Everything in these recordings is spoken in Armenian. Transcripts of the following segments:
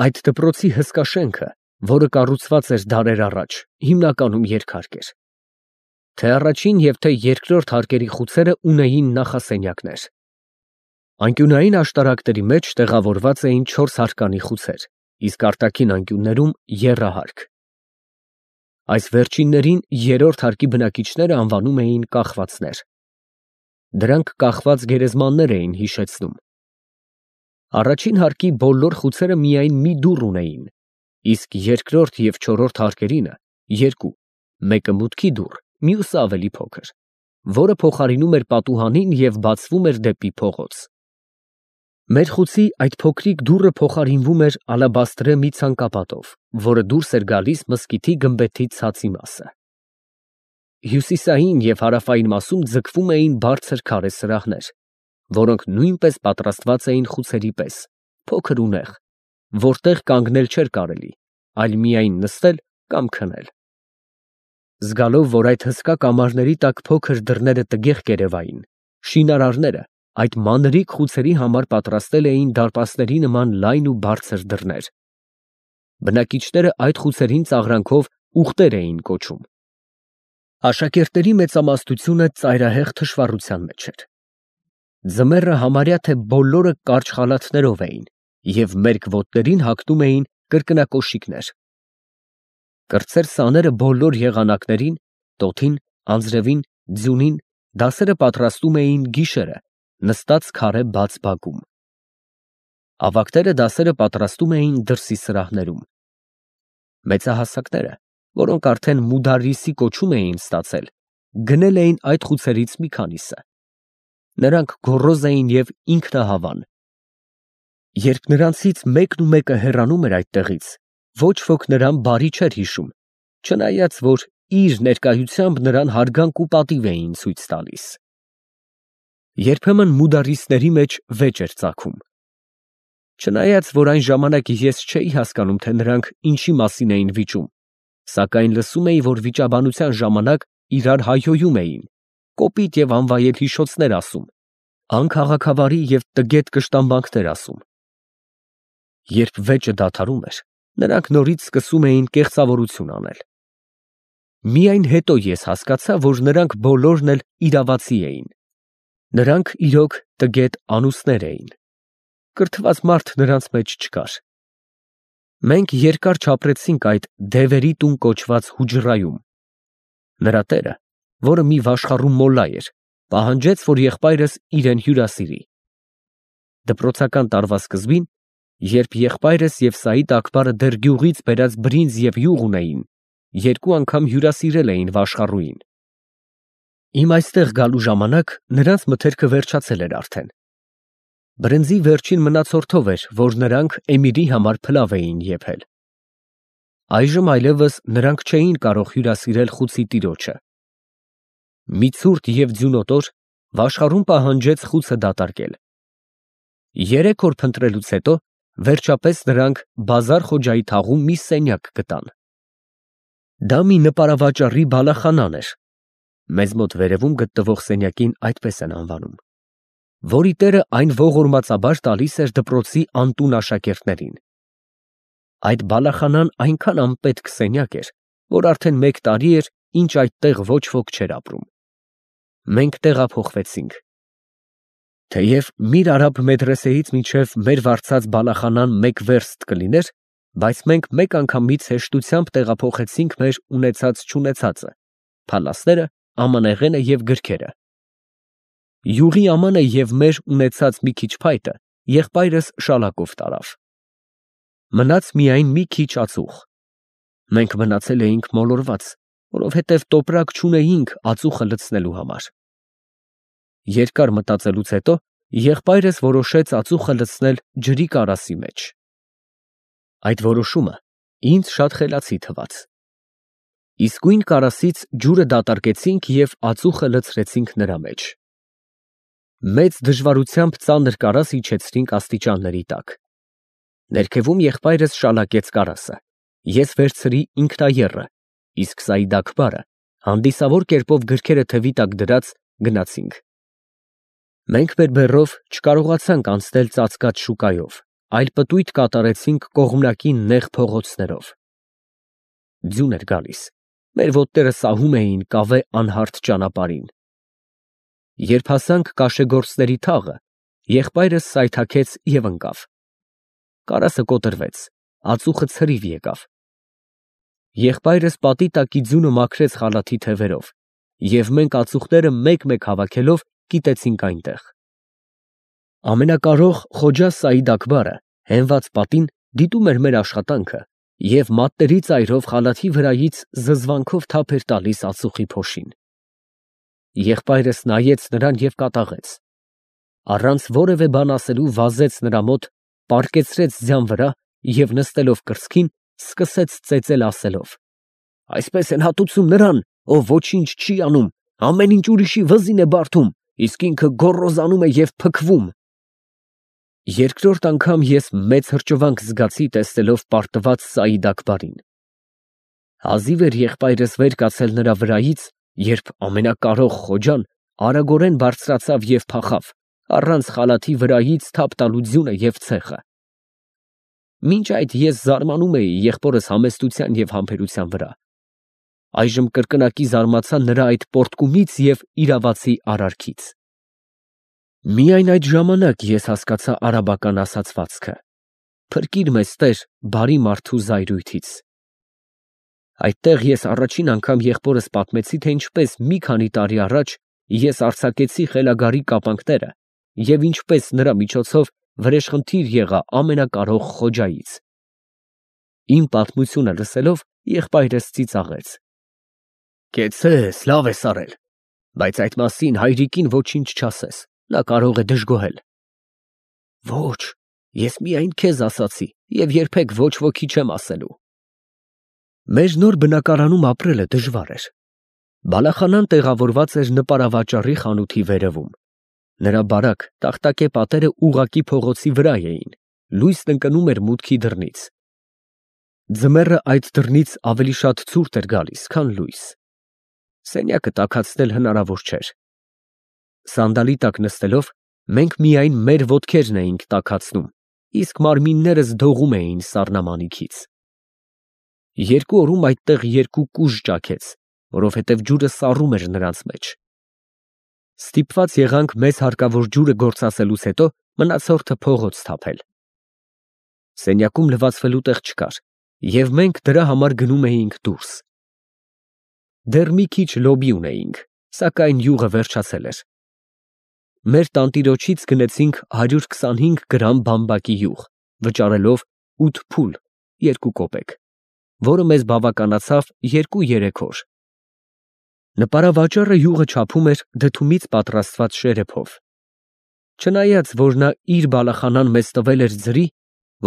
Այդ դպրոցի հսկա շենքը, որը կառուցված էր դարեր առաջ, հիմնականում երկհարկ էր. թե առաջին և թե երկրորդ հարկերի խուցերը ունեին նախասենյակներ։ Անկյունային աշտարակների մեջ տեղավորված էին 4 հարկանի խուցեր, իսկ արտաքին անկյուններում եռահարկ։ Այս վերջիններին երրորդ հարկի բնակիչները անվանում էին կախվածներ։ Դրանք կախված գերեզմաններ էին հիշեցնում։ Առաջին հարկի բոլոր խուցերը միայն մի դուռ ունեին, իսկ երկրորդ և չորրորդ հարկերինը երկու, մեկը մուտքի դուռ, մյուսը ավելի փոքր, որը փոխարինում էր պատուհանին և բացվում էր դեպի փողոց։ Մեր խուցի այդ փոքրիկ դուռը փոխարինվում էր ալաբաստրե մի ցանկապատով, որը դուրս էր գալիս մզկիթի գմբեթի ցածի մասը։ Հյուսիսային և հարավային մասում ձգվում էին բարձր քարե սրահներ, որոնք նույնպես պատրաստված էին խուցերի պես, փոքր ու նեղ, որտեղ կանգնել չէր կարելի, այլ միայն նստել կամ քնել։ Զգալով, որ այդ հսկա կամարների տակ փոքր դռները տգեղ կերևային, շինարարները այդ մանրիկ խուցերի համար պատրաստել էին դարպասների նման լայն ու բարձր դռներ։ Բնակիչները այդ խուցերին ծաղրանքով ուղտեր էին կոչում։ Աշակերտների մեծամասնությունը ծայրահեղ թշվառության մեջ էր։ Ձմեռը համարյա թե բոլորը կարճ խալաթներով էին և մերկ ոտներին հագնում էին կրկնակոշիկներ։ Կրտսեր սաները բոլոր եղանակներին, տոթին, անձրևին, ձյունին դասերը պատրաստում էին գիշերը, նստած քարե բաց բակում։ Ավագները դասերը պատրաստում էին դրսի սրահներում։ Մեծահասակները, որոնք արդեն մուդարրիսի կոչում էին ստացել, գնել էին այդ խուցերից մի քանիսը։ Նրանք գոռոզ էին և ինքնահավան։ Երբ նրանցից մեկն ու մեկը հեռանում էր այդտեղից, ոչ ոք նրան բարի չէր հիշում, չնայած որ իր ներկայությամբ նրան հարգանք ու պատիվ էին ցույց տալիս։ Երբեմն մուդարրիսների մեջ վեճ էր ծագում։ Չնայած որ այն ժամանակ ես չէի հասկանում, թե նրանք ինչի մասին էին վիճում, սակայն լսում էի, որ վիճաբանության ժամանակ իրար հայհոյում էին, կոպիտ և անվայել հիշոցներ ասում, անքաղաքավարի և տգետ կշտամբանքներ ասում։ Երբ վեճը դադարում էր, նրանք նորից սկսում էին կեղծավորություն անել։ Միայն հետո ես հասկացա, որ նրանք բոլորն էլ իրավացի էին։ Նրանք իրոք տգետ անուսներ էին։ Կրթված մարդ նրանց մեջ չկար։ Մենք երկար չապրեցինք այդ դևերի տուն կոչված հուջռայում։ Նրա տերը, որը մի վաշխառու մոլլա էր, պահանջեց, որ եղբայրս իրեն հյուրասիրի։ Դպրոցական տարվա սկզբին, երբ եղբայրս և Սաիդ Աքբարը դեռ գյուղից բերած բրինձ և յուղ ունեին, երկու անգամ հյուրասիրել էին վաշխառուին։ Իմ այստեղ գալու ժամանակ նրանց մթերքը վերջացել էր արդեն։ Բրնձի վերջին մնացորդով էր, որ նրանք Էմիրի համար փլավ էին եփել։ Այժմ այլևս նրանք չէին կարող հյուրասիրել խուցի տիրոջը։ Մի ցուրտ և ձյունոտ օր վաշխառուն պահանջեց խուցը դատարկել։ 3 օր փնտրելուց հետո վերջապես նրանք Բազար Խոջայի թաղում մի սենյակ գտան։ Դա մի նպարավաճառի բալախանան էր (մեզ մոտ վերևում գտնվող սենյակին այդպես են անվանում), որի տերը այն ողորմածաբար տալիս էր դպրոցի անտուն աշակերտներին։ Այդ բալախանան այնքան անպետք սենյակ էր, որ արդեն 1 տարի էր, ինչ այդտեղ ոչ ոք չէր ապրում։ Մենք տեղափոխվեցինք։ Թեև Միր Արաբ մեդրեսեից մինչև մեր վարձած բալախանան 1 վերստ կլիներ, բայց մենք մեկ անգամից հեշտությամբ տեղափոխեցինք մեր ունեցած֊չունեցածը, փալասները, ամանեղենը և գրքերը։ Յուղի ամանը և մեր ունեցած մի քիչ փայտը եղբայրս շալակով տարավ։ Մնաց միայն մի քիչ ածուխ։ Մենք մնացել էինք մոլորված, որովհետև տոպրակ չունեինք ածուխը լցնելու համար։ Երկար մտածելուց հետո եղբայրս որոշեց ածուխը լցնել ջրի կարասի մեջ։ Այդ որոշումը ինձ շատ խելացի թվաց։ Իսկույն կարասից ջուրը դատարկեցինք և ածուխը լցրեցինք նրա մեջ։ Մեծ դժվարությամբ ծանր կարաս իջեցրինք աստիճանների տակ։ Ներքևում եղբայրս շալակեց կարասը, ես վերցրի ինքնաեռը, իսկ Սաիդ Աքբարը հանդիսավոր կերպով գրքերը թևի տակ դրած գնացինք։ Մենք մեր բեռով չկարողացանք անցնել ծածկած շուկայով, այլ պտույտ կատարեցինք կողմնակի նեղ փողոցներով։ Ձյուն էր գալիս, մեր ոտները սահում էին կավե անհարթ ճանապարհին։ Երբ հասանք կաշեգործների թաղը, եղբայրս սայթաքեց և ընկավ։ Կարասը կոտրվեց, ածուխը ցրիվ եկավ։ Եղբայրս պատի տակի ձյունը մաքրեց խալաթի թևերով, և մենք ածուխները մեկ-մեկ հավաքելով կիտեցինք այնտեղ։ Ամենակարող Խոջա Սաիդ Աքբարը հենված պատին դիտում էր մեր աշխատանքը և մատների ծայրով խալաթի վրայից զզվանքով թափ էր տալիս ածուխի փոշին։ Եղբայրս նայեց նրան և կատաղեց։ Առանց որևէ բան ասելու վազեց նրա մոտ, պառկեցրեց ձյան վրա և նստելով կրծքին, սկսեց ծեծել ասելով. «Այսպես են հատուցում նրան, ով ոչինչ չի անում, ամեն ինչ ուրիշի վզին է բարդում, իսկ ինքը գոռոզանում է և փքվում»։ Երկրորդ անգամ ես մեծ հրճվանք զգացի, տեսնելով պարտված Սաիդ Աքբարին։ Հազիվ էր եղբայրս վեր կացել նրա վրայից, երբ ամենակարող Խոջան արագորեն բարձրացավ և փախավ, առանց խալաթի վրայից թափ տալու ձյունը և ցեխը։ Մինչ այդ ես զարմանում էի եղբորս համեստության և համբերության վրա։ Այժմ կրկնակի զարմացա նրա այդ պոռթկումից և իրավացի արարքից։ Միայն այդ ժամանակ ես հասկացա արաբական ասացվածքը. «Փրկիր մեզ, Տեր, բարի մարդու զայրույթից»։ Այդտեղ ես առաջին անգամ եղբորս պատմեցի, թե ինչպես մի քանի տարի առաջ ես արձակեցի խելագարի կապանքները և ինչպես նրա միջոցով վրեժխնդիր եղա ամենակարող Խոջայից։ Իմ պատմությունը լսելով եղբայրս ծիծաղեց. «Կեցցես, լավ ես արել, բայց այդ մասին հայրիկին ոչինչ չասես, նա կարող է դժգոհել»։ Ոչ, ես միայն քեզ ասացի և երբեք ոչ ոքի չեմ ասելու։ Մեր նոր բնակարանում ապրելը դժվար էր։ Բալախանան տեղավորված էր նպարավաճառի խանութի վերևում։ Նրա բարակ, տախտակե պատերը ուղղակի փողոցի վրա էին, լույսն ընկնում էր մուտքի դռնից։ Ձմեռը այդ դռնից ավելի շատ ցուրտ էր գալիս, քան լույս։ Սենյակը տաքացնել հնարավոր չէր։ Սանդալի տակ նստելով մենք միայն մեր ոտքերն էինք տաքացնում, իսկ մարմիններս դողում էին սառնամանիքից։ Երկու օրում այդտեղ երկու կուժ ճաքեց, որովհետև ջուրը սառում էր նրանց մեջ։ Ստիպված եղանք մեզ հարկավոր ջուրը գործածելուց հետո մնացորդը փողոց թափել։ Սենյակում լվացվելու տեղ չկար, և մենք դրա համար գնում էինք դուրս։ Դեռ մի քիչ լոբի ունեինք, սակայն յուղը վերջացել էր։ Մեր տանտիրոջից գնեցինք 125 գրամ բամբակի յուղ, վճարելով 8 փուլ (2 կոպեկ), որը մեզ բավականացավ 2-3 օր։ Նպարավաճառը յուղը չափում էր դդումից պատրաստված շերեփով։ Չնայած որ նա իր բալախանան մեզ տվել էր ձրի,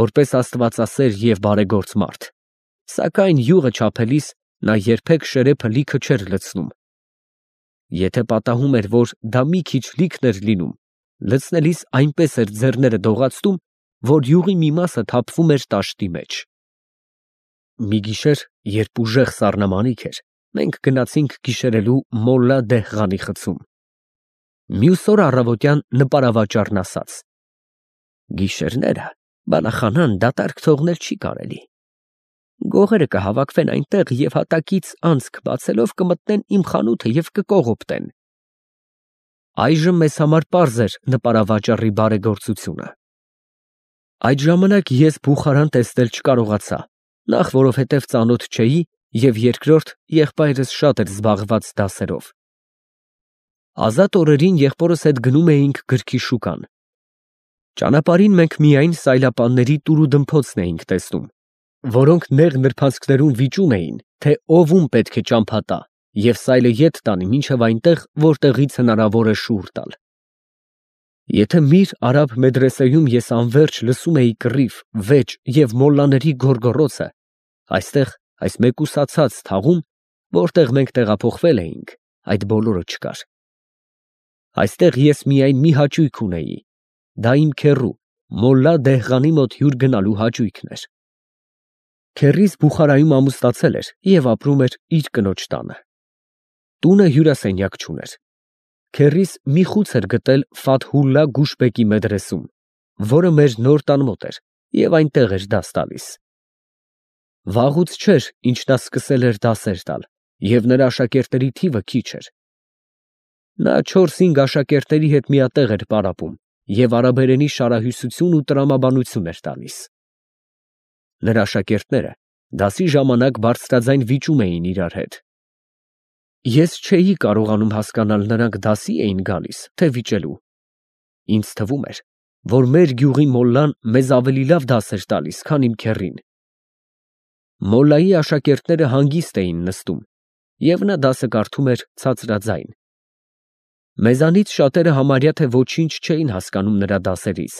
որպես աստվածասեր և բարեգործ մարդ, սակայն յուղը չափելիս նա երբեք շերեփը լիքը չէր լցնում։ Եթե պատահում էր, որ դա մի քիչ լիքն էր լինում, լցնելիս այնպես էր ձեռները դողացնում, որ յուղի մի մասը թափվում էր տաշտի մեջ։ Մի գիշեր, երբ ուժեղ սառնամանիք էր, մենք գնացինք գիշերելու Մոլլա Դեհղանի խցում։ Մյուս օր առավոտյան նպարավաճառն ասաց. «Գիշերները բալախանան դատարկ թողնել չի կարելի։ Գողերը կհավաքվեն այնտեղ և հատակից անցք բացելով կմտնեն իմ խանութը և կկողոպտեն»։ Այժմ մեզ համար պարզ էր նպարավաճառի բարեգործությունը։ Այդ ժամանակ ես Բուխարան տեսնել չկարողացա, նախ որովհետև ծանոթ չէի և երկրորդ եղբայրս շատ էր զբաղված դասերով։ Ազատ օրերին եղբորս հետ գնում էինք գրքի շուկան։ Ճանապարհին մենք միայն սայլապանների տուրուդմփոցն էինք տեսնում, որոնք նեղ նրբանցքներում վիճում էին, թե ով ում պետք է ճամփա տա և սայլը ետ տանի մինչև այնտեղ, որտեղից հնարավոր է շուռ տալ։ Եթե Միր Արաբ մեդրեսեում ես անվերջ լսում էի կռիվ, վեճ և մոլլաների գոռգոռոցը, այստեղ, այս մեկուսացած թաղում, որտեղ մենք տեղափոխվել էինք, այդ բոլորը չկար։ Այստեղ ես միայն մի հաճույք ունեի, դա իմ քեռու Մոլլա Դեհղանի մոտ հյուր գնալու հաճույքն էր։ Քեռիս Բուխարայում ամուսնացել էր և ապրում էր իր կնոջ տանը։ Տունը հյուրասենյակ չուներ։ Քեռիս մի խուց էր գտել Ֆաթհուլլա Գուշբեկի մեդրեսում, որը մեր նոր տան մոտ էր, և այնտեղ էր դաս տալիս։ Վաղուց չէր, ինչ նա սկսել էր դասեր տալ, և նրա աշակերտների թիվը քիչ էր։ Նա 4-5 աշակերտների հետ միատեղ էր պարապում և արաբերենի շարահյուսություն ու տրամաբանություն էր տալիս։ Նրա աշակերտները դասի ժամանակ բարձրաձայն վիճում էին իրար հետ։ Ես չէի կարողանում հասկանալ նրանք դասի էին գալիս, թե վիճելու։ Ինձ թվում էր, որ մեր գյուղի մոլլան մեզ ավելի լավ դաս էր տալիս, քան իմ քեռին։ Մոլլայի աշակերտները հանգիստ էին նստում, և նա դասը կարդում էր ցածրաձայն։ Մեզանից շատերը համարյա թե ոչինչ չէին հասկանում նրա դասերից,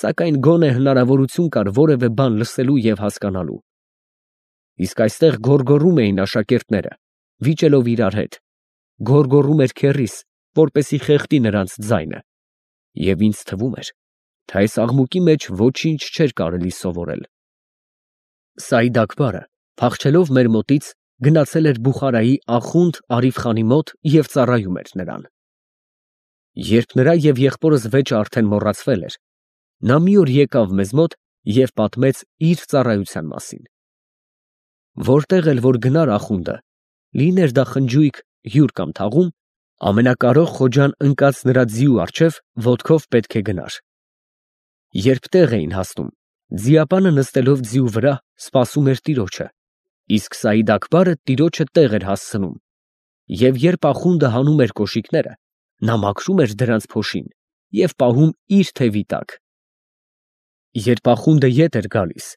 սակայն գոնե հնարավորություն կար որևէ բան լսելու և հասկանալու։ Իսկ այստեղ գոռգոռում էին աշակերտները, վիճելով իրար հետ, գոռգոռում էր քեռիս, որպեսզի խեղդի նրանց ձայնը, և ինձ թվում էր, թե այս աղմուկի մեջ ոչինչ չէր կարելի սովորել։ Սաիդ Աքբարը, փախչելով մեր մոտից, գնացել էր Բուխարայի ախունդ Արիֆ֊խանի մոտ և ծառայում էր նրան։ Երբ նրա և եղբորս վեճը արդեն մոռացվել էր, նա մի օր եկավ մեզ մոտ և պատմեց իր ծառայության մասին։ Որտեղ էլ որ գնար ախունդը, լիներ դա խնջույք, հյուր կամ թաղում, ամենակարող Խոջան ընկած նրա ձիու առջև ոտքով պետք է գնար։ Երբ տեղ էին հասնում, ձիապանը նստելով ձիու վրա սպասում էր տիրոջը, իսկ Սաիդ Աքբարը տիրոջը տեղ էր հասցնում, և երբ ախունդը հանում էր կոշիկները, նա մաքրում էր դրանց փոշին և պահում իր թևի տակ։ Երբ ախունդը ետ էր գալիս,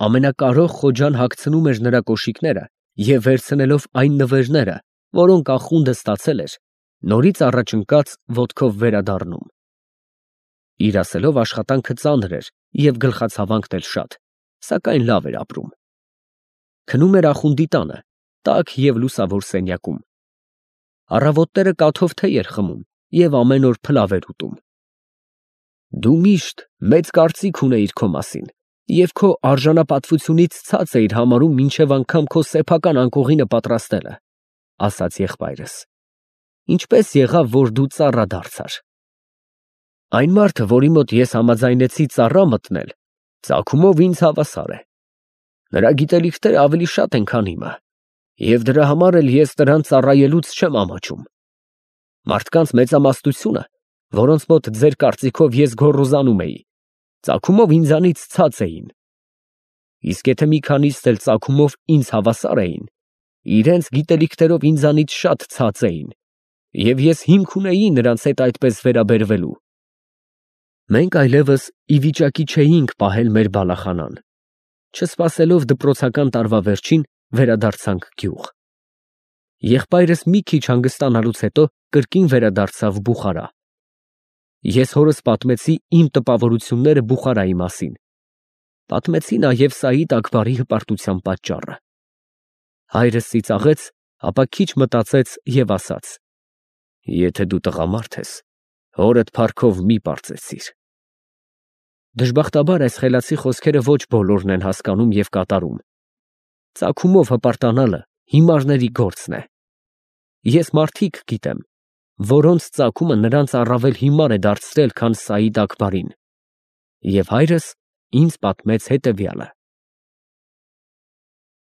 ամենակարող Խոջան հագցնում էր նրա կոշիկները և վերցնելով այն նվերները, որոնք ախունդը ստացել էր, նորից առաջ ընկած ոտքով վերադառնում։ Իր ասելով աշխատանքը ծանր էր և գլխացավանքն էլ շատ, սակայն լավ էր ապրում։ Քնում էր ախունդի տանը, տաք և լուսավոր սենյակում։ Առավոտները կաթով թեյ էր խմում և ամեն օր փլավ էր ուտում։ Դու միշտ մեծ կարծիք ունեիր քո մասին և քո արժանապատվությունից ցած էիր համարում մինչև անգամ քո սեփական անկողինը պատրաստելը, ֊ ասաց եղբայրս։ Ինչպե՞ս եղավ, որ դու ծառա դարձար։ Այն մարդը, որի մոտ ես համաձայնեցի ծառա մտնել, ծագումով ինձ հավասար է։ Նրա գիտելիքները ավելի շատ են, քան իմը, և դրա համար էլ ես նրան ծառայելուց չեմ ամաչում։ Մարդկանց մեծամասնությունը, որոնց մոտ ձեր կարծիքով ես գոռոզանում էի, ծագումով ինձանից ցած էին։ Իսկ եթե մի քանիսն էլ ծագումով ինձ հավասար էին, իրենց գիտելիքներով ինձանից շատ ցած էին, և ես հիմք ունեի նրանց հետ այդպես վերաբերվելու։ Մենք այլևս ի վիճակի չէինք պահել մեր բալախանան։ Չսպասելով դպրոցական տարվա վերջին, վերադարձանք գյուղ։ Եղբայրս մի քիչ հանգստանալուց հետո կրկին վերադարձավ Բուխարա։ Ես հորս պատմեցի իմ տպավորությունները Բուխարայի մասին, պատմեցի նաև Սաիդ Աքբարի հպարտության պատճառը։ Հայրս ծիծաղեց, ապա քիչ մտածեց և ասաց. «Եթե դու տղամարդ ես, հորդ փառքով մի պարծեցիր»։ Դժբախտաբար այս խելացի խոսքերը ոչ բոլորն են հասկանում և կատարում։ Ծագումով հպարտանալը հիմարների գործն է։ Ես մարդիկ գիտեմ, որոնց ծագումը նրանց առավել հիմար է դարձրել, քան Սաիդ Աքբարին, և հայրս ինձ պատմեց հետևյալը։